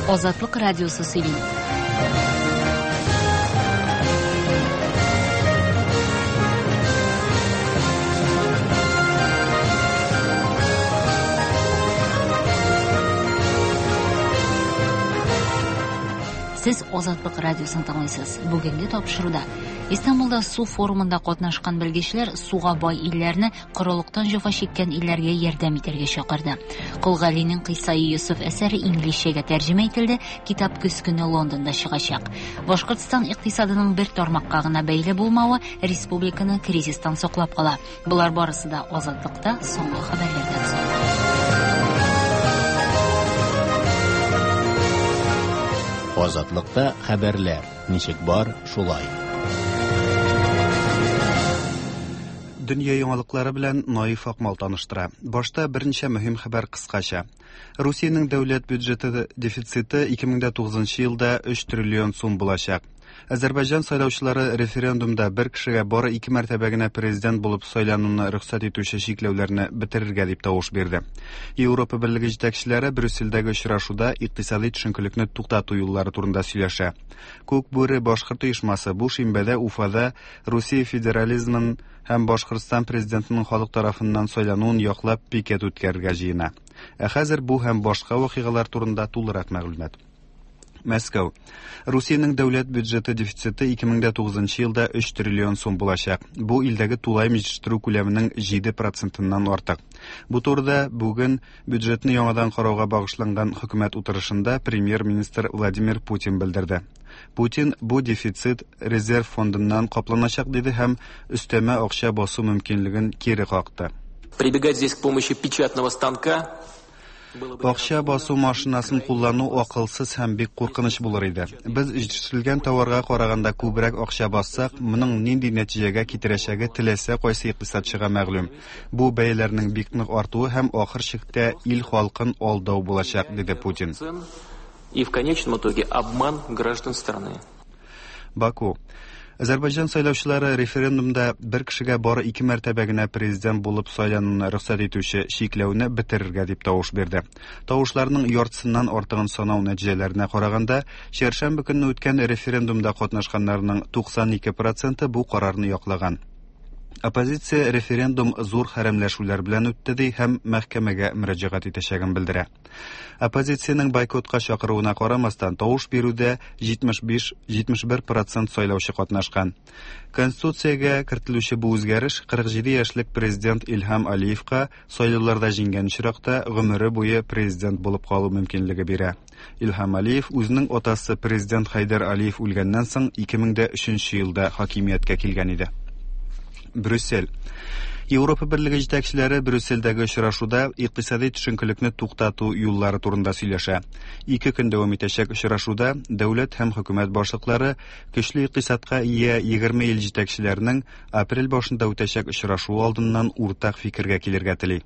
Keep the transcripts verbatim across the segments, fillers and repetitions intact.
Азатлык радиосы сөйли. Сез Азатлык радиосын тыңлыйсыз. Бүгенге тапшыруда Истанбулда су форумында катнашкан белгечләр суга бай илләрне корылыктан җәфа чиккән илләргә ярдәм итәргә чакырды. Кол Галинең Кыйсаи Йосыф әсәре инглизчәгә тәрҗемә ителде, китап көз көне Лондонда чыгачак. Башкортстан икътисадының бер тармакка гына бәйле булмавы республиканы кризистан саклап кала. Болар барысы да Азатлыкта соңгы хәбәрләрдән соң. Азатлыкта хәбәрләр ничек бар, шулай. Дөнья яңалыклары белән Наиф Акмал таныштыра. Башта берничә мөһим хәбәр кыскача. Русиянең дәүләт бюджеты дефициты ике мең тугызынчы елда өч триллион сум булачак. Азәрбайҗан сайлаучылары референдумда бер кешегә бары ике мәртәбә генә президент булып сайлануны рөхсәт итүче чикләүләрне бетерергә дип тавыш бирде. Европа Берлеге җитәкчеләре Брюссельдәге очрашуда икътисади төшенкелекне туктату юллары турында сөйләшә. Күк бүре башкорт оешмасы бу шимбәдә Уфада Русия федерализмын һәм Башкортстан президентының халык тарафыннан сайлануын яклап пикет үткәрергә җыена. Ә хәзер бу һәм башка вакыйгалар турында тулырак мәгълүмат. Мәскәү. Русиянең дәүләт бюджеты дефициты ике мең тугызынчы елда өч триллион сум булачак. Бу илдәге тулаем җитештерү күләменең җиде процентыннан артык. Бу турыда бүген бюджетны яңадан карауга багышланган хөкүмәт утырышында премьер-министр Владимир Путин белдерде. Путин бу дефицит резерв фондыннан капланачак диде һәм өстәмә акча басу мөмкинлеген кире какты. Прибегать здесь к помощи печатного станка. Акча басу машинасын куллану акылсыз һәм бик куркыныч булыр иде. Без җитештерелгән товарга караганда күбрәк акча бассак, моның нинди нәтиҗәгә китерәчәге теләсә кайсы икътисадчыга мәгълүм. Бу бәяләрнең бик нык артуы һәм ахыр чиктә ил халкын алдау булачак, диде Путин. И в конечном итоге обман граждан страны. Баку. Азәрбайҗан сайлаучылары референдумда бер кешегә бары ике мәртәбә генә президент булып сайлануны рөхсәт итүче чикләүне бетерергә дип тавыш бирде. Тавышларның яртысыннан артыгын санау нәтиҗәләренә караганда, чәршәмбе көнне үткән референдумда катнашканнарның туксан ике проценты бу карарны яклаган. Оппозиция референдум зур хәрәмләшүләр белән үтте ди һәм мәхкәмәгә мөрәҗәгать итәчәген белдерә. Оппозициянең бойкотка чакыруына карамастан, тавыш бирүдә җитмеш биш, җитмеш бер процент сайлаучы катнашкан. Конституциягә кертелүче бу үзгәреш кырык җиде яшьлек президент Илһам Алиевка сайлауларда җиңгән очракта гомере буе президент булып калу мөмкинлеге бирә. Илһам Алиев үзенең атасы президент Хәйдәр Алиев үлгәннән соң ике мең дә өченче елда хакимияткә килгән иде. Брюссель. Европа Берлеге җитәкчеләре Брюссельдәге очрашуда икътисади төшенкелекне туктату юллары турында сөйләшә. Ике көн дәвам итәчәк очрашуда дәүләт һәм хөкүмәт башлыклары көчле икътисадка ия егерме ил җитәкчеләренең апрель башында үтәчәк очрашу алдыннан уртак фикергә килергә тели.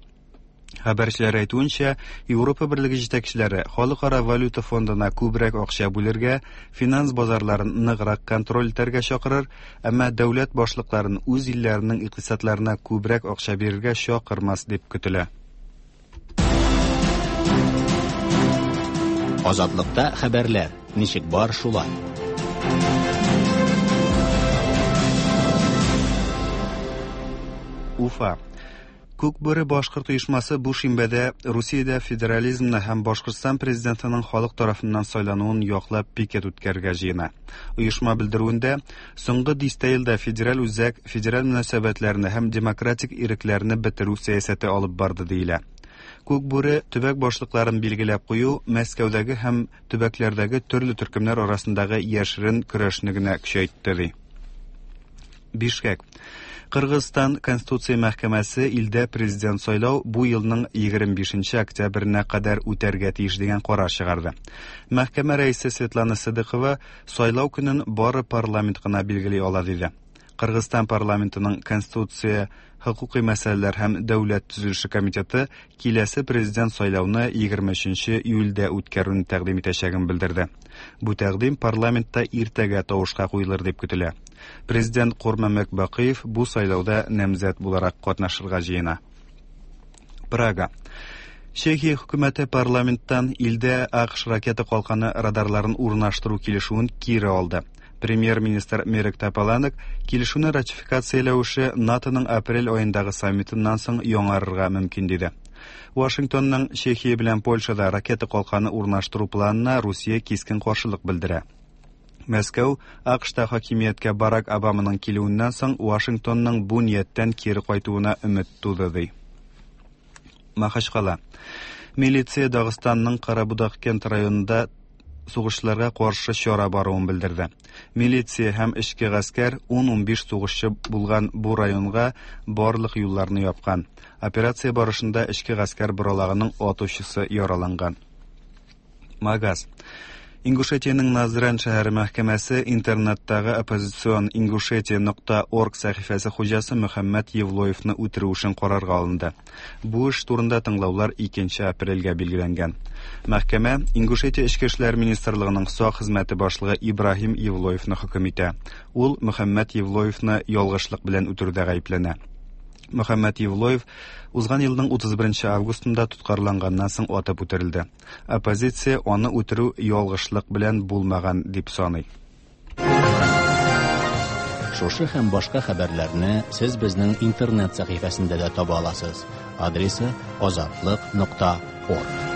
Хәбәрчеләр әйтүенчә, Европа Берлеге җитәкчеләре Халыкара валюта фондына күбрәк акча бүлергә, финанс базарларын ныграк контроль итәргә чакырыр, әмма дәүләт башлыкларын үз илләренең икътисадларына күбрәк акча бирергә чакырмас дип көтелә. Азатлыкта хәбәрләр ничек бар, шулай. Уфа. Күк бүре башкорт оешмасы бу шимбәдә Русиядә федерализмны һәм Башкортстан президентының халык тарафыннан сайлануын яклап пикет үткәрергә җыена. Оешма белдерүендә соңгы дистә елда федераль үзәк федераль мөнәсәбәтләрне һәм демократик ирекләрне бетерү сәясәте алып барды диелә. Күк бүре төбәк башлыкларын билгеләп кую Мәскәүдәге һәм төбәкләрдәге төрле төркемнәр арасындагы яшерен көрәшне генә көчәйтте ди. Бишкек. Кыргызстан Конституция мәхкәмәсе илдә президент сайлау бу елның егерме бишенче октябренә кадәр үтәргә тиеш дигән карар чыгарды. Мәхкәмә рәисе Светлана Сыдыкова сайлау көнен бары парламент кына билгели ала диде. Кыргызстан парламентының Конституция, хукукый мәсьәләләр һәм дәүләт төзелеше комитеты киләсе президент сайлауны егерме өченче июльдә үткәрүне тәкъдим итәчәген белдерде. Бу тәкъдим парламентта иртәгә тавышка куелыр дип көтелә. Президент Курманбек Бакыев бу сайлауда намзәт буларак катнашырга җыена. Прага. Чехия хөкүмәте парламенттан илдә А Q Ш ракета калканы радарларын урнаштыру килешүен кире алды. Премьер-министр Мирек Тополанек килешүне ратификацияләү эше НАТОның апрель аендагы саммитыннан соң яңарырга мөмкин диде. Вашингтонның Чехия белән Польшада ракета калканы урнаштыру планына Русия кискен каршылык белдерә. Мәскәү А Q Шта хакимияткә Барак Обаманың килүеннән соң Вашингтонның бу нияттән кире кайтуына өмет туды ди. Махачкала. Милиция Дагыстанның Карабудак-Кент районында сугышчыларга каршы чара баруын белдерде. Милиция һәм эчке гаскәр ун-унбиш сугышчы булган бу районга барлык юлларны япкан. Операция барышында эчке гаскәр боралагының атучысы яраланган. Магаз. Ингушетиянең Назран шәһәре мәхкәмәсе интернеттагы оппозицион ингушетия нокта орг сәхифәсе хуҗасы Мөхәммәд Евлоевны үтерү эшен карарга алынды. Бу эш турында тыңлаулар икенче апрельгә билгеләнгән. Мәхкәмә Ингушетия Эчке эшләр министрлыгының сак хезмәте башлыгы Ибраһим Евлоевны хөкем итә. Ул Мөхәммәд Евлоевны ялгышлык белән үтерүдә гаепләнә. Мөхәммәд Евлоев узган елның утыз беренче августында тоткарланганнан соң атып үтерелде. Оппозиция аны үтерү ялгышлык белән булмаган дип саный. Шушы һәм башка хәбәрләрне сез безнең интернет сәхифәсендә дә таба аласыз. Адресы: азатлык нокта орг.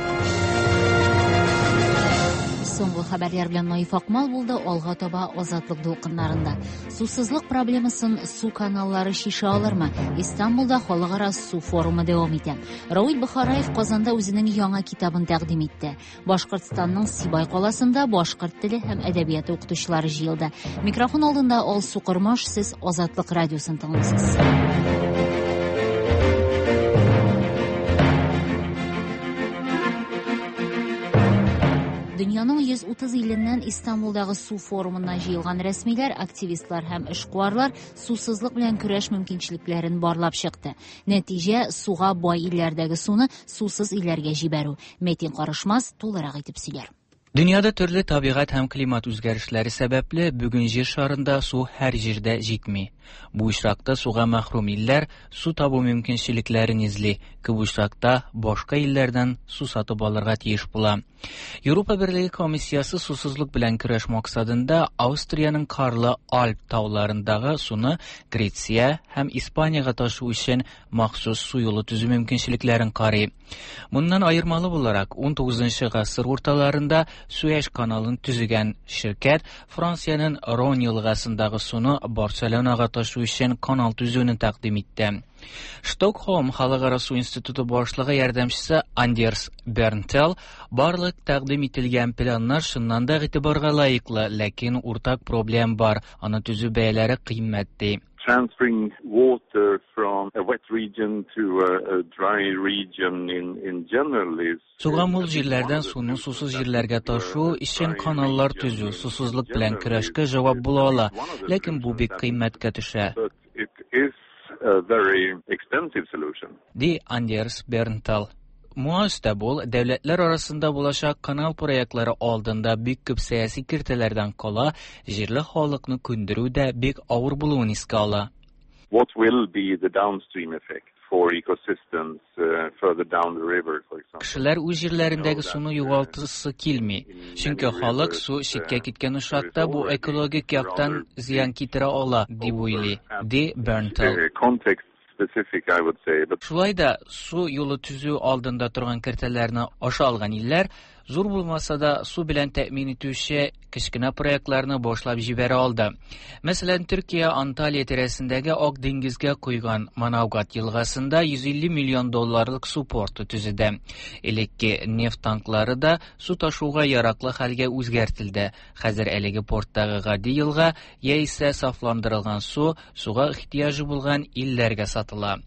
Соңгы хәбәрләр белән Наиф Акмал булды. Алга таба Азатлык дулкыннарында. Сусызлык проблемасын су каналлары чишә алырмы? Истанбулда халыкара су форумы дәвам итә. Равил Бохараев Казанда үзенең яңа китабын тәкъдим итте. Башкортстанның Сибай каласында башкорт теле һәм әдәбияты укытучылары җыелды. Микрофон алдында Алсу Кормаш, сез Азатлык радиосын тыңлыйсыз. Дөньяның йөз утыз иленнән Истанбулдагы су форумына җыелган рәсмиләр, активистлар һәм эшкуарлар сусызлык белән көрәш мөмкинчелекләрен барлап чыкты. Нәтиҗә: суга бай илләрдәге суны сусыз илләргә җибәрү. Метин Карышмас тулырак итеп сөйләр. Дөньяда төрле табигать һәм климат үзгәрешләре сәбәпле бүген җир шарында су һәр җирдә җитми. Бу очракта суга мәхрүм илләр су табу мөмкинчелекләрен эзли. Күп очракта башка илләрдән су сатып алырга тиеш була. Европа Берлеге комиссиясе сусызлык белән көрәш максатында Австриянең карлы Альп тауларындагы суны Греция һәм Испаниягә ташу өчен махсус су юлы төзү мөмкинчелекләрен карый. Моннан аермалы буларак, унтугызынчы гасыр урталарында Суэш каналын төзегән ширкәт Франциянең Рон елгасындагы суны Барселонага ташу өчен канал төзүне тәкъдим итте. Стокһолм халыкара су институты башлыгы ярдәмчесе Андерс Бернтел барлык тәкъдим ителгән планнар чыннан да игътибарга лаеклы, ләкин уртак проблем бар, аны төзү бәяләре кыйммәт ди. Transferring water from a wet region to a, a dry region in, in general is Суга мул җирләрдән суны сусыз җирләргә ташу өчен каналлар төзү сусызлык белән көрәшкә җавап була ала, ләкин бу бик кыйммәткә төшә. But it is a very expensive solution. Ди Андерс Бернтал. Моңа өстәп ул дәүләтләр арасында булачак канал проектлары алдында бик күп сәяси киртәләрдән кала, җирле халыкны күндерү дә бик авыр булуын искә ала. What will be the downstream effect for ecosystems uh, further down the river, for example? Кешеләр үз җирләрендәге суны югалтасы килми. Чөнки халык су читкә киткән очракта бу экологик яктан зыян китерә ала, дип уйлый, ди Бернтал. Uh, context specific, I would say, but Шулай да су юлы төзү алдында торган киртәләрне аша алган илләр зур булмаса да су белән тәэмин итүче кечкенә проектларны башлап җибәрә алды. Мәсәлән, Төркия Анталия тирәсендәге Ак диңгезгә койган Манавгат елгасында йөз илле миллион долларлык су порты төзеде. Элекке нефть танклары да су ташуга яраклы хәлгә үзгәртелде. Хәзер әлеге порттагы гади елга яисә сафландырылган су суга ихтыяҗы булган илләргә сатыла.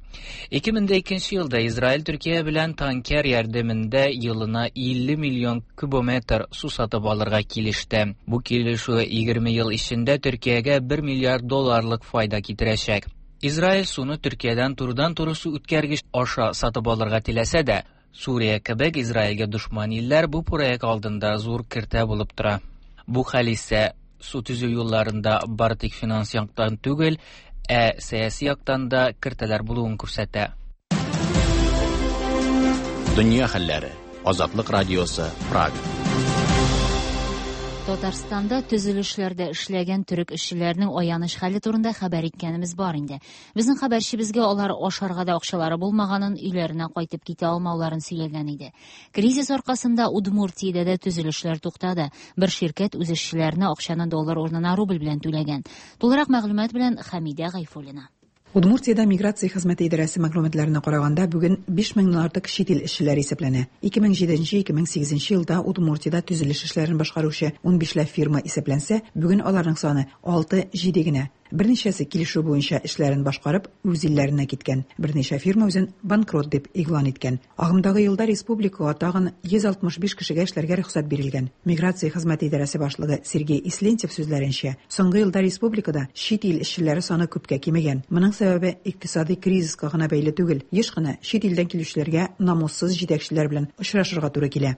ике мең икенче елда Израиль Төркия белән танкер ярдәмендә елына илле миллион кубометр су сатып алырга килеште. Бу килешү егерме ел эчендә Төркиягә бер миллиард долларлык файда китерәчәк. Израиль суны Төркиядән турыдан-туры су үткәргеч аша сатып алырга теләсә дә, Сүрия кебек Израильгә дошман илләр бу проект алдында зур киртә булып тора. Бу хәл исә су төзү юлларында бары тик финанс яктан түгел, ә сәяси яктан да киртәләр булуын күрсәтә. Дөнья хәлләре. Азатлык радиосы, Прага. Татарстанда төзелешләрдә эшләгән төрек эшчеләренең аяныч хәле турында хәбәр иткәнебез бар инде. Безнең хәбәрчебезгә алар ашарга да акчалары булмаганын, өйләренә кайтып китә алмауларын сөйләгән иде. Кризис аркасында Удмуртиядә дә төзелешләр туктады. Бер ширкәт үз эшчеләренә акчаны доллар урынына рубль белән түләгән. Тулырак мәгълүмат белән Хәмидә Гайфуллина. Удмуртиядә миграция хезмәте идарәсе мәгълүматларына караганда, бүген биш меңнән артык чит ил эшчеләре исәпләнә. ике мең җиденче ике мең сигезенче елда Удмуртиядә төзелеш эшләрен башкаручы унбишләп фирма исәпләнсә, бүген аларның саны алты-җиде генә. Берничәсе килешү буенча эшләрен башкарып, үз илләренә киткән. Берничә фирма үзен банкрот дип игълан иткән. Агымдагы елда республикага тагын йөз алтмыш биш кешегә эшләргә рөхсәт бирелгән. Миграция хезмәте идарәсе башлыгы Сергей Ислентьев сүзләренчә, соңгы елда республикада чит ил эшчеләре саны күпкә кимегән. Моның сәбәбе икътисади кризиска гына бәйле түгел. Еш кына чит илдән килүчеләргә намуссыз җитәкчеләр белән очрашырга туры килә.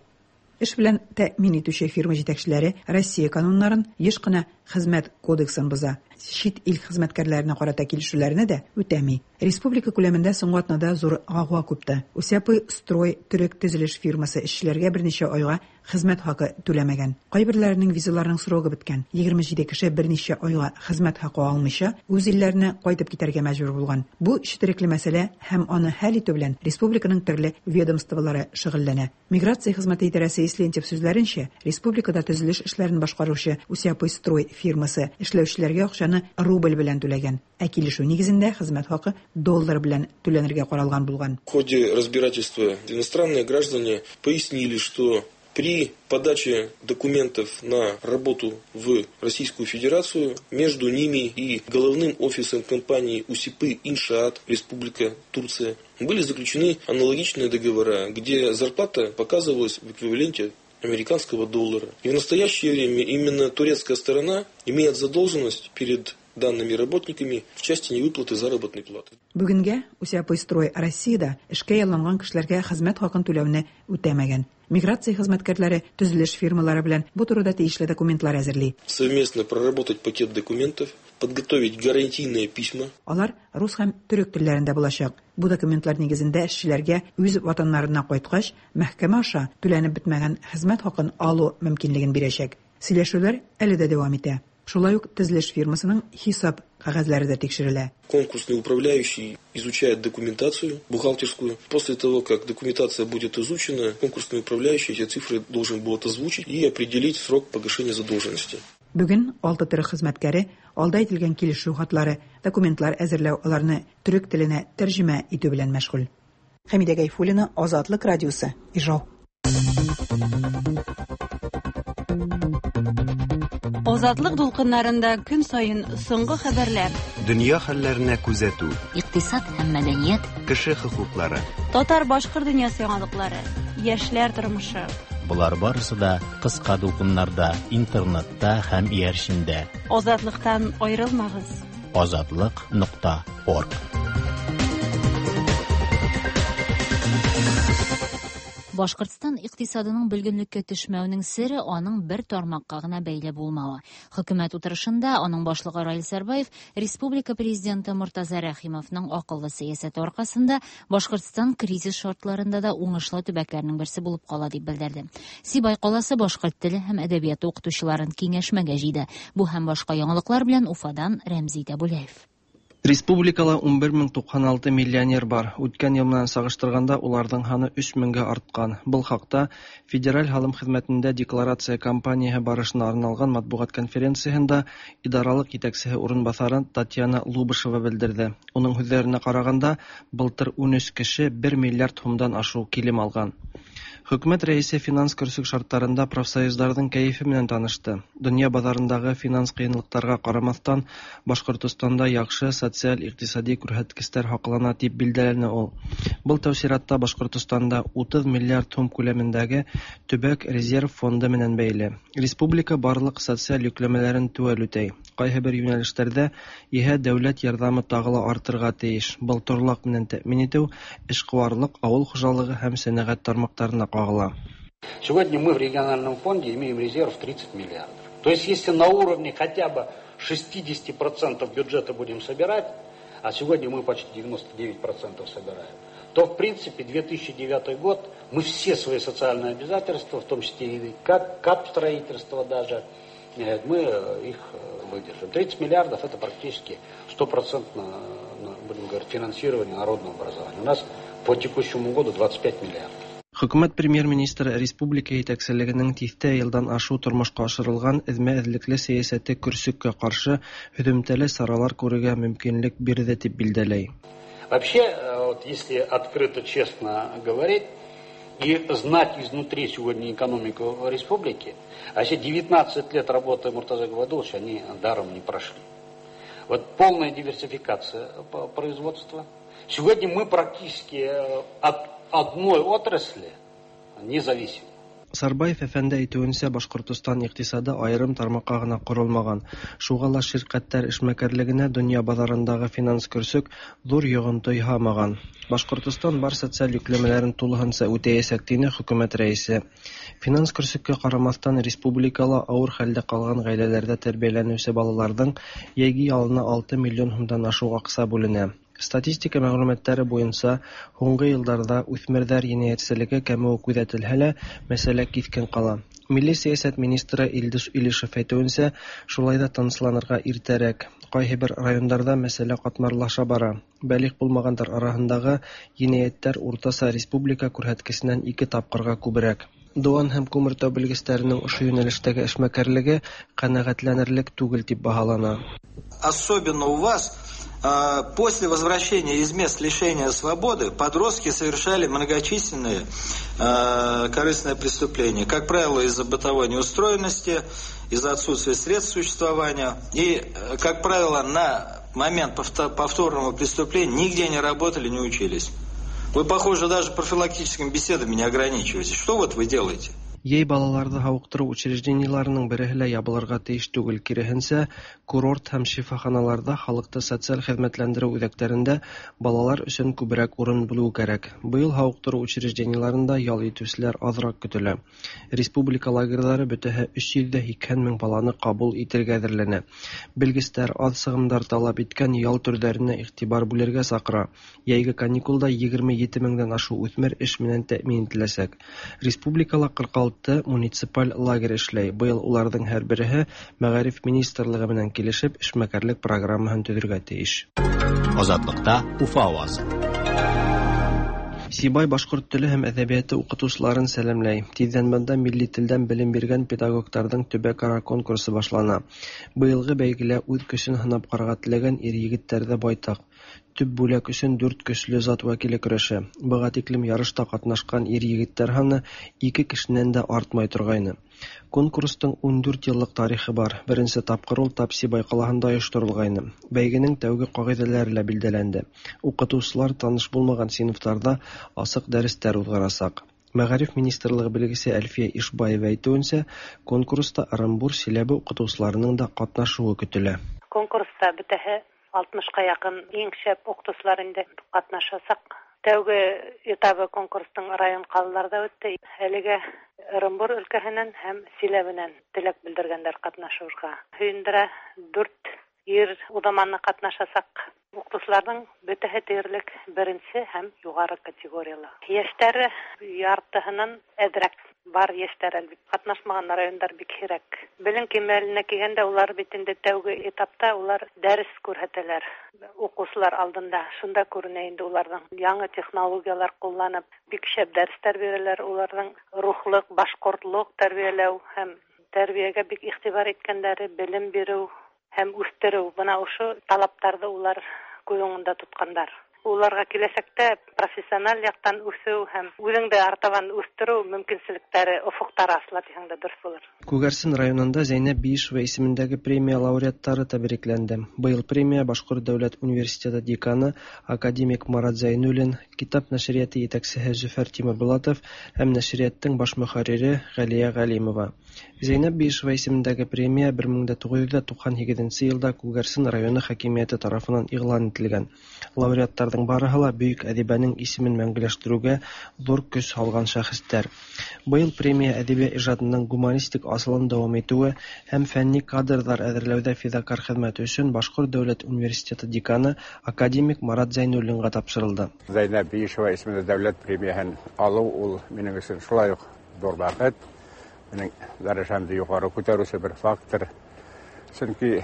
Эш белән тәэмин итүче фирма җитәкчеләре Россия кануннарын, еш кына хезмәт кодексын боза. Чит ил хезмәткәрләренә карата килешүләрне дә үтәми. Республика күләмендә соңгы атнада зур гауга купты. Усяпы строй төрек төзелеш фирмасы эшчеләргә берничә айга хезмәт хакы түләмәгән. Кайберләренең визаларының срогы беткән. Егерме җиде кеше берничә айга хезмәт хакы алмыйча үз илләренә кайтып китәргә мәҗбүр булган. Бу четерекле мәсьәлә һәм аны хәл итү белән республиканың төрле ведомстволары шөгыльләнә. Миграция хезмәте идарәсе Ислентьев сүзләренчә, республикада төзелеш эшләрен башкаручы Усяпы строй фирмасы эшләүчеләргә акчаны рубль белән түләгән. Ә килешү нигезендә хезмәт хакы доллар белән түләнергә каралган булган. В ходе разбирательства иностранные граждане пояснили, что при подаче документов на работу в Российскую Федерацию между ними и головным офисом компании Усипы Иншаат, Республика Турция, были заключены аналогичные договора, где зарплата показывалась в эквиваленте американского доллара. И в настоящее время именно турецкая сторона имеет задолженность перед данными работниками в части невыплаты заработной платы. Бүгенгә Усяпы строй Россиядә эшкә ялланган кешеләргә хезмәт хакын түләүне үтәмәгән. Миграция хезмәткәрләре төзелеш фирмалары белән бу турыда тиешле документлар әзерли. Совместно проработать пакет документов, подготовить гарантийные письма. Алар рус һәм төрек телләрендә булачак. Бу документлар нигезендә эшчеләргә үз ватаннарына кайткач, мәхкәмә аша түләнеп бетмәгән хезмәт хакын алу мөмкинлеген бирәчәк. Сөйләшүләр әле дә дәвам итә. Шулай ук төзелеш фирмасының хисап кәгазьләре дә тикшерелә. Конкурсный управляющий изучает документацию бухгалтерскую. После того, как документация будет изучена, конкурсный управляющий эти цифры должен будет озвучить и определить срок погашения задолженности. Бүген алты төрек хезмәткәре алда әйтелгән килешү хатлары, документлар әзерләү, аларны төрек теленә тәрҗемә итү белән мәшгуль. Хәмидә Гайфуллина, Азатлык радиосы, Ижау. Азатлык дулкыннарында көн саен соңгы хәбәрләр, дөнья хәлләренә күзәтү, икътисад һәм мәдәният, кеше хокуклары, татар-башкорт дөньясы яңалыклары, яшьләр тормышы. Болар барысы да кыска дулкыннарда, интернетта һәм иярчендә. Азатлыктан аерылмагыз. Азатлык нокта орг. Башкортстан икътисадының бөлгенлеккә төшмәүенең сере аның бер тармакка гына бәйле булмавы. Хөкүмәт утырышында аның башлыгы Раил Сарбаев республика президенты Мортаза Рәхимовның акыллы сәясәте аркасында Башкортстан кризис шартларында да уңышлы төбәкләрнең берсе булып кала дип белдерде. Сибай каласы башкорт теле һәм әдәбияты укытучыларын киңәшмәгә җыйды. Бу һәм башка яңалыклар белән Уфадан Рәмзи Тәбүләев. Республикала ун бер мең туксан алты миллионер бар. Үткән ел менән сагыштырганда уларның һаны өч меңгә арткан. Был хакта Федераль һалым хеҙмәтендә декларация кампанияһы барышына арналған матбуғат конференцияһында идаралыҡ етәксеһе урынбаҫары Татьяна Лубышева белдерҙе. Уның һүҙҙәренә ҡарағанда, былтыр ун өс кеше бер миллиард һумдан ашыу килем алған. Хөкүмәт рәисе финанс көрсөк шарттарында профсоюздарҙың кәйефе менән танышты. Донъя баҙарындағы финанс ҡыйынлыҡтарға ҡарамаҫтан, Башҡортостанда яҡшы социаль-иҡтисади күрһәткестәр һаҡлана тип билдәләне ул. Был тәү сиратта Башҡортостанда утыҙ миллиард һум күләмендәге төбәк резерв фонды менән бәйле. Республика барлыҡ социаль йөкләмәләрен теүәл үтәй. Ҡайһы бер йүнәлештәрҙә иһә дәүләт ярҙамы тағы ла артырға тейеш. Был торлаҡ менән тәьмин итеү, эшҡыуарлыҡ, ауыл хужалығы һәм сәнәғәт тармаҡтарына ҡағыла. Сегодня мы в региональном фонде имеем резерв тридцать миллиардов. То есть, если на уровне хотя бы шестидесяти процентов бюджета будем собирать, а сегодня мы почти девяносто девять процентов собираем, то, в принципе, две тысячи девятый год мы все свои социальные обязательства, в том числе и кап-строительство даже, мы их выдержим. тридцать миллиардов – это практически стопроцентно, будем говорить, финансирование народного образования. У нас по текущему году двадцать пять миллиардов. Хөкүмәт премьер-министры республика җитәкчелегенең тиҫтә йылдан ашыу тормошҡа ашырылған эҙмә-эҙлекле сәйәсәте көрсөккә ҡаршы һөҙөмтәле саралар күрергә мөмкинлек бирҙе тип билдәләй. Вообще, вот если открыто, честно говорить и знать изнутри сегодня экономику республики, а все девятнадцать лет работы Муртазы Губайдулловича, они даром не прошли. Вот полная диверсификация производства. Сегодня мы практически от одной отрасли не зависим. Сарбаев әфәнде әйтеүенсә, Башҡортостан иҡтисады айырым тармаҡҡа ғына ҡоролмаған. Шуға ла ширҡәттәр эшмәкәрлегенә донъя баҙарындағы финанс көрсөк ҙур йоғонто яһамаған. Башҡортостан бар социаль йөкләмәләрен тулыһынса үтәйәсәк, тине хөкүмәт рәйесе. Финанс көрсөккә ҡарамаҫтан, республикала ауыр хәлдә ҡалған ғаиләләрҙә тәрбиәләнеүсе балаларҙың йәйге ялына алты миллион һумдан ашыу аҡса бүленә. Статистика мәғлүмәттәре буйынса, һуңғы йылдарҙа үҫмерҙәр енәйәтселеге кәмеүе күҙәтелһә лә, мәсьәлә киҫкен ҡала. Милли сәйәсәт министры Илдус Илишев әйтеүенсә, шулай ҙа тынысланырға иртәрәк. Ҡайһы бер райондарҙа мәсьәлә ҡатмарлаша бара. Бәлиғ булмағандар араһындағы енәйәттәр уртаса республика күрһәткесенән ике тапҡырға күберәк. Дыуан һәм Күмертау белгестәренең ошо йүнәлештәге эшмәкәрлеге ҡәнәғәтләнерлек түгел тип баһалана. Особенно у вас после возвращения из мест лишения свободы подростки совершали многочисленные корыстные преступления, как правило, из-за бытовой неустроенности, из-за отсутствия средств существования и, как правило, на момент повторного преступления нигде не работали, не учились. Вы, похоже, даже профилактическими беседами не ограничиваетесь. Что вот вы делаете? Йәй балаларҙы һауыҡтырыу учреждениеларының береһе лә ябылырға тейеш түгел, киреһенсә, курорт һәм шифаханаларҙа халыҡты социаль хеҙмәтләндереү үҙәктәрендә балалар өсөн күберәк урын булыу кәрәк. Быйыл һауыҡтырыу учреждениеларында ял итеүселәр аҙыраҡ көтөлә. Республика лагерҙары бөтәһе өс йөҙ ҙә һикһән мең баланы ҡабул итергә әҙерләнә. Белгестәр аҙ сығымдар талап иткән ял төрҙәренә иғтибар бүлергә саҡыра. Йәйге каникулда егерме ете меңдән ашыу үҫмер эш менән тәьмин ителәсәк. Республикала ҡырҡ алты муниципаль лагерь эшләй. Быйыл уларҙың һәр береһе Мәғариф министрлығы менән килешеп эшмәкәрлек программаһын төҙөргә тейеш. Азатлыҡта Уфа ауазы. Сибай башҡорт теле һәм әҙәбиәте уҡытыусыларын сәләмләй. Тиҙҙән бында милли телдән белем биргән педагогтарҙың төбәк-ара конкурсы башлана. Быйылғы бәйгелә үҙ көсөн һынап ҡарарға теләгән ир-егеттәр ҙә байтаҡ. Төп бүләк өсөн дүрт көслө зат вәкиле көрәшә. Быға тиклем ярышта ҡатнашҡан ир-егеттәр һаны ике кешенән дә артмай торғайны. Конкурстың ун дүрт йыллыҡ тарихы бар. Беренсе тапҡыр ул тап Сибай ҡалаһында ойошторолғайны. Бәйгенең тәүге ҡағиҙәләре лә билдәләнде. Уҡытыусылар таныш булмаған синыфтарҙа асыҡ дәрестәр уҙғарасаҡ. Мәғариф министрлығы белгесе Әлфиә Ишбаева әйтеүенсә, конкурста Ырымбур, Силәбе уҡытыусыларының да ҡатнашыуы көтөлә. Конкурста бөтәһе алтмышҡа яҡын иң шәп уҡытыусылар инде ҡатнашасаҡ. Тәүге этабы конкурстың район ҡалаларҙа үтте. Әлегә Ырымбур өлкәһенән һәм Силәбенән теләк белдергәндәр ҡатнашыуға. Һөйөндөрә дүрт ир уҙаманы ҡатнашасаҡ. Уҡытыусыларҙың бөтәһе тиерлек беренсе һәм юғары категориялы. Йәштәре яртыһынан әҙерәк бар йәштәр әлбиттә. Ҡатнашмаған райондар бик һирәк. Белем кимәленә килгәндә улар бит инде тәүге этапта улар дәрес күрһәтәләр уҡыусылар алдында. Шунда күренә инде уларҙың яңы технологиялар ҡулланып бик шәп дәрестәр бирәләр. Уларҙың рухлыҡ, башҡортлоҡ тәрбиәләү һәм тәрбиәгә бик иғтибар иткәндәре, белем биреү һәм үҫтереү. Бына ошо талаптарҙы улар күҙ уңында тотҡандар. Уларға киләсәктә профессиональ яҡтан үҫеү һәм үҙеңде артабан үҫтереү мөмкинселектәре, офоҡтары асыла тиһәң дә дөрөҫ булыр. Күгәрсен районында Зәйнәб Биишева исемендәге премия лауреаттары тәбрикләнде. Быйыл премия Башҡорт дәүләт университеты деканы академик Марат Зәйнуллин, китап нәшриәте етәксеһе Зөфәр Тимербулатов һәм нәшриәттең баш мөхәррире Ғәлиә Ғәлимова. Зәйнәб Биишева исемендәге премия бер мең дә туғыҙ йөҙ туҡһан һигеҙенсе йылда Күгәрсен районы хакимиәте тарафынан иғлан ителгән. Лауреаттар Лауреаттарҙың барыһы ла бөйөк әҙибәнең исемен мәңгеләштереүгә ҙур көс һалған шәхестәр. Быйыл премия әҙибә ижадының гуманистик асылын дауам итеүе һәм фәнни кадрҙар әҙерләүҙә фиҙакар хеҙмәте өсөн Башҡорт дәүләт университеты деканы академик Марат Зәйнуллинға тапшырылды. Зәйнәб Биишева исемле дәүләт премияһын алыу ул минең өсөн шулай уҡ ҙур бәхет. Минең дәрәжәмде юғары күтәреүсе бер фактор. Сөнки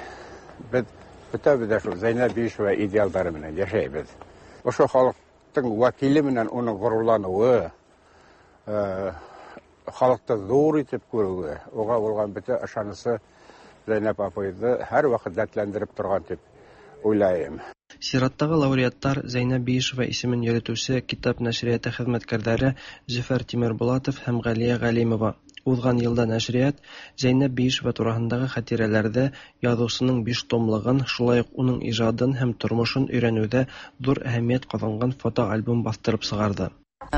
беҙ бөтәбеҙ ҙә шул Зәйнәб Биишева идеалдары менән йәшәйбеҙ. Ошо халыҡтың вәкиле менән уның ғорурланыуы, халыҡты ҙур итеп күреүе, уға булған бөтә ышанысы Зәйнәб апайҙы һәр ваҡыт дәртләндереп торған тип уйлайым. Сираттағы лауреаттар Зәйнәб Биишева исемен йөрөтөүсе китап нәшриәте хеҙмәткәрҙәре Зөфәр Тимербулатов һәм Ғәлиә Ғәлимова. Уҙған йылда нәшриәт Зәйнәб Биишева тураһындағы хәтирәләрҙе, яҙыусының биш томлығын, шулай уҡ уның ижадын һәм тормошон өйрәнеүҙә ҙур әһәмиәт ҡаҙанған фотоальбом баҫтырып сығарҙы.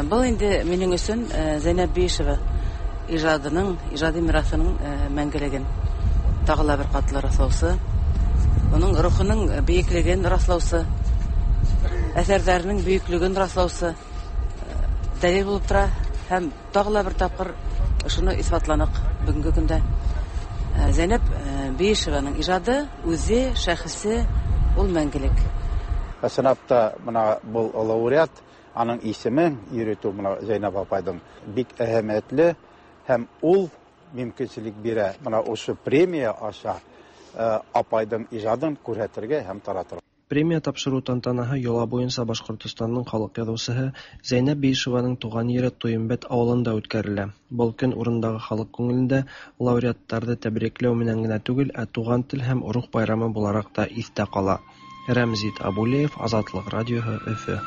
Был инде минең өсөн Зәйнәб Биишева ижадының, ижади мираҫының мәңгелеген тағы ла бер ҡатлы раҫлаусы, уның рухының бейеклеген раҫлаусы, әҫәрҙәренең бөйөклөгөн раҫлаусы дәлил булып тора һәм тағы ла бер тапҡыр ошоно иҫбатланыҡ бөгөнгө көндә. Зәйнәб Биишеваның ижады, үҙе, шәхесе ул мәңгелек. Ысынлап та бына был лауреат, аның исемен йөрөтөү бына Зәйнәб апайҙың бик әһәмиәтле һәм ул мөмкинселек бирә бына ошо премия аша апайҙың ижадын күрһәтергә һәм таратырға. Премия тапшырыу тантанаһы йола буйынса Башҡортостандың халыҡ яҙыусыһы Зәйнәб Биишеваның туған ере Туйымбет ауылында үткәрелә. Был көн урындағы халыҡ күңелендә лауреаттарҙы тәбрикләү менән генә түгел, ә туған тел һәм рух байрамы булараҡ та иҫтә ҡала. Рәмзит Абулеев, Азатлыҡ радиоһы, Өфө.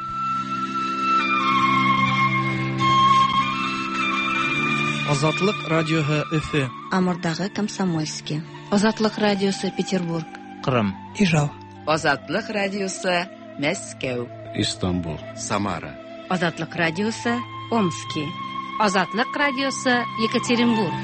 Азатлыҡ радиоһы, Өфө. Амурдағы Комсомольский. Азатлыҡ радиосы, Петербург. Ҡырым. Ижау. Азатлыҡ радиосы, Мәскәү. Истанбул. Самара. Азатлыҡ радиосы, Омски. Азатлыҡ радиосы, Екатеринбург.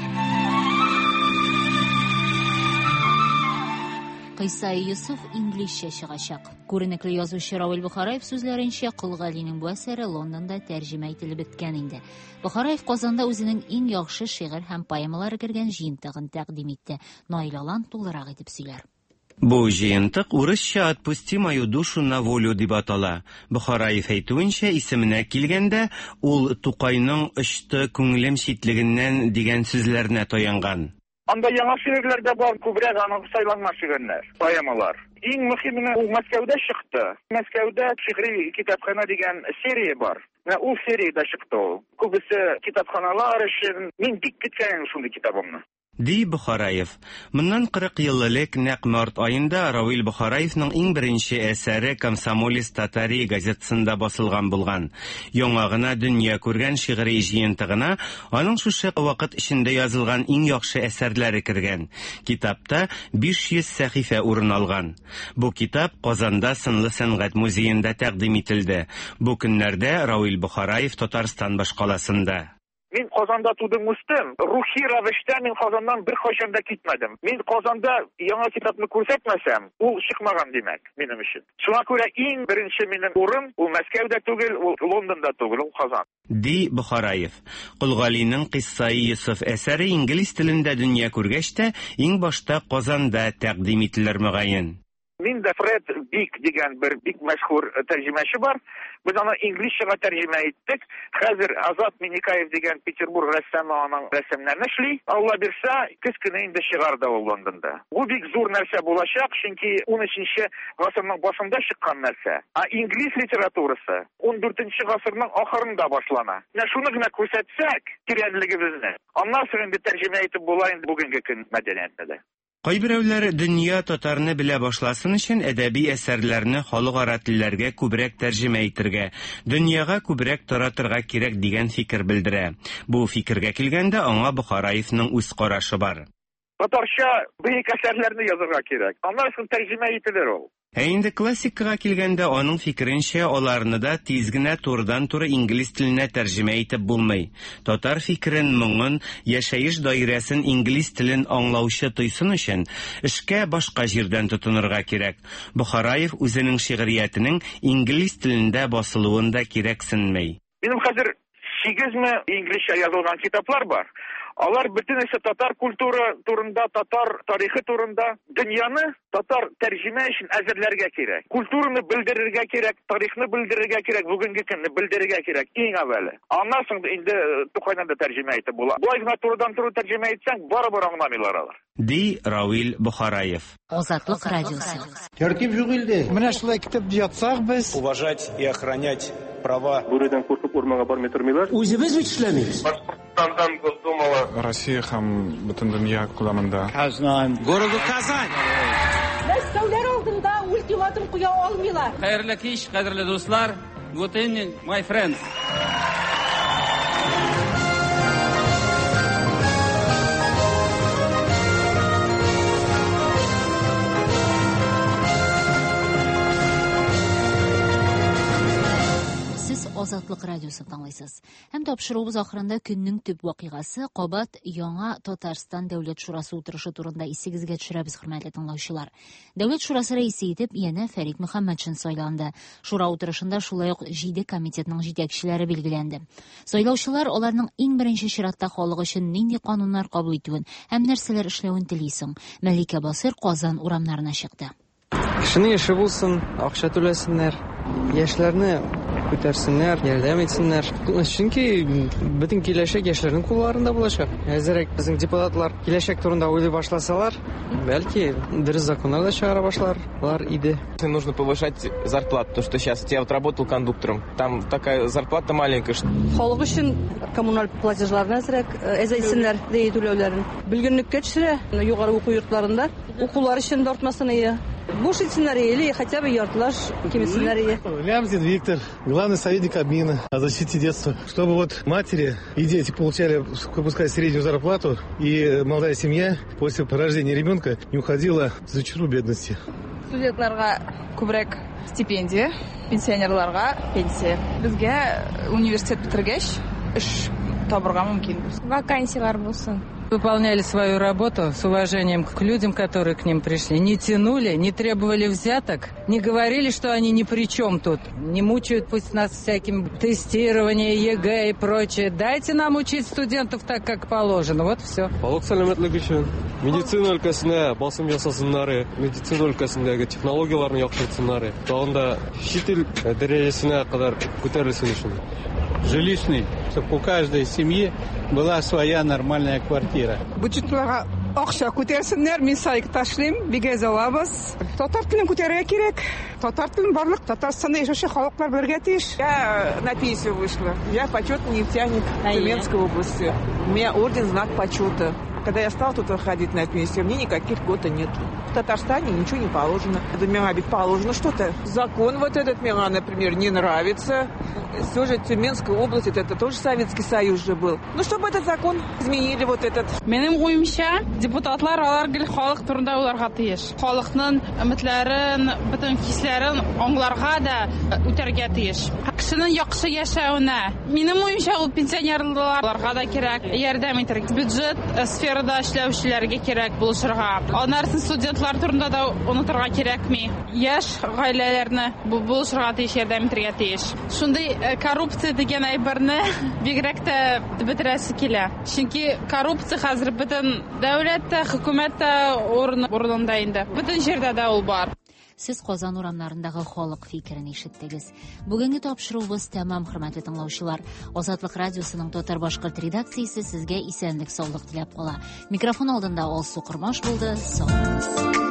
Кыйса Йософ инглизчә чыгачак. Күренекле язучы Равил Бохараев сүзләренчә, Кол Галинең бу әсәре Лондонда тәрҗемә ителеп беткән инде. Бохараев Казанда үзенең иң яхшы шигырь һәм поэмалары кергән җыентыгын тәкъдим итте. Наил Алан тулырак итеп сөйләр. Бу җыентык урысча «Отпусти мою душу на волю» дип атала. Бохараев әйтүенчә, исеменә килгәндә, ул Тукайның «Очты күңелем читлегеннән» дигән сүзләренә таянган. Анда яңа шигырьләр дә бар, күбрәк аның сайланма шигырьләр, поэмалар. Иң мөһиме ул Мәскәүдә чыкты. Мәскәүдә шигъри китапхана дигән серия бар. Менә ул сериядә чыкты ул. Күбесе китапханалар өчен. Мин бик көткән шундый китабымны. Ди Бохараев. Моннан кырык ел элек нәкъ март аенда Равил Бохараевның иң беренче әсәре «Комсомолец Татарии» газетасында басылган булган. Яңа гына дөнья күргән шигъри җыентыгына аның шушы вакыт эчендә язылган иң яхшы әсәрләре кергән. Китапта биш йөз сәхифә урын алган. Бу китап Казанда Сынлы сәнгать музеенда тәкъдим ителде. Бу көннәрдә Равил Бохараев Татарстан башкаласында. Мин Казанда тудым, үстем. Рухи рәвештә мин Казаннан бер кайчан да китмәдем. Мин Казанда яңа китапны күрсәтмәсәм, ул чыкмаган димәк минем өчен. Шуңа күрә иң беренче минем урын ул Мәскәүдә түгел, ул Лондонда түгел, ул Казан. Ди Бохараев. Кол Галинең Кыйссаи Йософ әсәре инглиз телендә дөнья күргәч тә, иң башта Казанда тәкъдим ителер мөгаен. Мин дә Фред Бик дигән бер бик мәшһүр тәрҗемәче бар. Без аны инглизчәгә тәрҗемә иттек. Хәзер Азат Миникаев дигән Петербург рәссамы аның рәсемнәрен эшли. Алла бирсә, көз көне инде чыгарды ул Лондонда. Бу бик зур нәрсә булачак, чөнки унөченче гасырның башында чыккан нәрсә. Ә инглиз литературасы ундүртенче гасырның ахырында башлана. Менә шуны гына күрсәтсәк, тирәнлегебезне, аннан соң инде тәрҗемә итеп була инде бүгенге көн мәдәниятендә. Кайберәүләр дөнья татарны белә башласын өчен әдәби әсәрләрне халыкара телләргә күбрәк тәрҗемә итергә, дөньяга күбрәк таратырга кирәк дигән фикер белдерә. Бу фикергә килгәндә аңа Бохараевның үз карашы бар. Татарча бөек әсәрләрне язырга кирәк. Аннан соң тәрҗемә ителер ул. Ә инде классикага килгәндә, аның фикеренчә, аларны да тиз генә турыдан-туры инглиз теленә тәрҗемә итеп булмый. Татар фикерен, моңын, яшәеш даирәсен инглиз телен аңлаучы тойсын өчен эшкә башка җирдән тотынырга кирәк. Бохараев үзенең шигъриятенең инглиз телендә басылуын да кирәксенмәй. Минем хәзер сигезме инглизчә язылган китаплар бар. Алар бөтенесе татар культура турында, татар тарихы турында. Дөньяны татар тәрҗемә өчен әзерләргә кирәк. Культураны белдерергә кирәк, тарихны белдерергә кирәк, бүгенге көнне белдерергә кирәк иң әүвәле. Аннан соң инде Тукайдан да тәрҗемә итеп була. Болай гына турыдан-туры тәрҗемә итсәң, барыбер аңламыйлар алар. Ди Равил Бохараев. Азатлык радиосы. Тәртип юк илде. Менә шулай китеп ятсак без. Уважать и охранять права. Бүредән куркып урманга бармый тормыйлар. Үзебез бит эшләмибез. Башкортстандан Госдумала. Россия һәм бөтен дөнья күләмендә. Казан. Городу Казань. Мәскәүләр алдында ультиматум куя алмыйлар. Хәерле кич, кадерле дуслар. Good evening, my friends. Азатлык радиосын тыңлыйсыз. Һәм тапшыруыбыз ахырында көннең төп вакыйгасы кабат яңа Татарстан Дәүләт Шурасы утырышы турында исегезгә төшерәбез, хөрмәтле тыңлаучылар. Дәүләт Шурасы рәисе итеп янә Фәрит Мөхәммәтшин сайланды. Шура утырышында шулай ук җиде комитетның җитәкчеләре билгеләнде. Сайлаучылар аларның иң беренче чиратта халык өчен нинди кануннар кабул итүен һәм нәрсәләр эшләвен тели соң. Мәликә Басыр Казан урамнарына чыкты. Кешенең эше булсын, акча түләсеннәр, яшьләрне күтәрсеннәр, ярдәм итсеннәр. Чөнки бөтен киләчәк яшьләрнең кулларында булачак. Әзерәк безнең депутатлар киләчәк турында уйлый башласалар, бәлки дөрес законнар да чыгара башларлар иде. Нужно повышать зарплату, потому что сейчас я вот работал кондуктором, там такая зарплата маленькая. Халык өчен коммуналь платежларны әзерәк әзәйтсеннәр, дәй түләүләрен. Бөлгенлеккә төшерә, югары уку йортларында укулар өчен дә артмасын ие. Буш итсеннәр или хотя бы яртылаш киметсеннәр ие. Лямзин Виктор, главный советник Кабмина о защите детства. Чтобы вот матери и дети получали, пускай, среднюю зарплату, и молодая семья после рождения ребенка не уходила за черту бедности. Студентларга күбрәк стипендия, пенсионерларга пенсия. Безгә университет бетергәч эш табырга мөмкин. Вакансиялар булсын. Выполняли свою работу с уважением к людям, которые к ним пришли. Не тянули, не требовали взяток, не говорили, что они ни при чем тут. Не мучают пусть нас всяким тестированием, ЕГЭ и прочее. Дайте нам учить студентов так, как положено. Вот все. Халык сәламәтлеге өчен медицина өлкәсенә басым ясасыннар, медицина өлкәсендәге технологияларны яхшыртсыннар, тагын да чит ил дәрәҗәсенә кадәр күтәрелсен өчен. Жилищный, чтобы у каждой семьи была своя нормальная квартира. Бюджетларга акча күтәрсеннәр, мин сайк ташлыйм, бик әз алабыз. Татар телен күтәрергә кирәк. Татар телен барлык Татарстанда яшәүче халыклар белергә тиеш. Я на пенсию вышла. Я почетный нефтяник Тюменской области. У меня орден «Знак почета». Когда я стала тут выходить на пенсию, мне никаких льгот нет. В Татарстане ничего не положено. Миңа ведь положено что-то. Закон вот этот мне, например, не нравится. Все же Тюменская область, это, это тоже Советский Союз же был. Ну, чтобы этот закон изменили вот этот. Минем уемча, депутатлар алар гел халык турында уйларга тиеш. Халыкның өметләрен, бөтен хисләрен аңларга да үтәргә тиеш. Кешенең яхшы яшәвенә. Минем уемча, ул пенсионерларга да кирәк, ярдәм итәргә. Бюджет сферада эшләүчеләргә кирәк булышырга. Аннары студентлар турында да онытырга кирәкми. Яшь гаиләләрне булышырга тиеш, ярдәм итәргә тиеш. Шундый коррупция дигән әйберне бигрәк тә бетерәсе килә. Чөнки коррупция хәзер бөтен дәүләттә, хөкүмәттә урынында инде. Бөтен җирдә дә ул бар. Сез Казан урамнарындагы халык фикерен ишеттегез. Бүгенге тапшыруыбыз тәмам, хөрмәтле тыңлаучылар. Азатлык радиосының татар-башкорт редакциясе сезгә исәнлек, саулык теләп кала. Микрофон алдында Алсу Кормаш булды. Сау булыгыз.